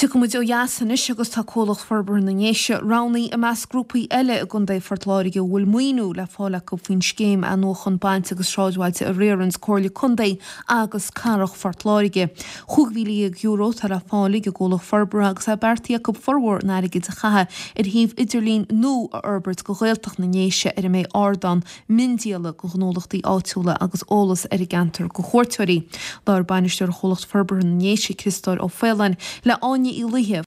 Tiocfaidh muid ó dheas anois agus tá Comhlacht Forbartha na nDéise roghnaithe i measc grúpaí eile i gContae Phort Láirge a bhfuil maoiniú le fáil acu faoin scéim athnuachan bailte agus sráidbhailte a riaranns Comhairle Contae agus Cathrach Phort Láirge. €15,000 atá le fáil ag an gcomhlacht forbartha agus é beartaithe acu formhór an airgid a chaitheamh ar shuíomh idirlín nua a fhorbairt do Ghaeltacht na nDéise ar a mbeidh ardán miondíola do ghnólachtaí áitiúla agus eolas ar an gceantar do chuairteoirí. Labhair Bainisteoir Chomhlacht Forbartha na nDéise, Criostóir Ó Faoláin, le Áine Uí Laoithe.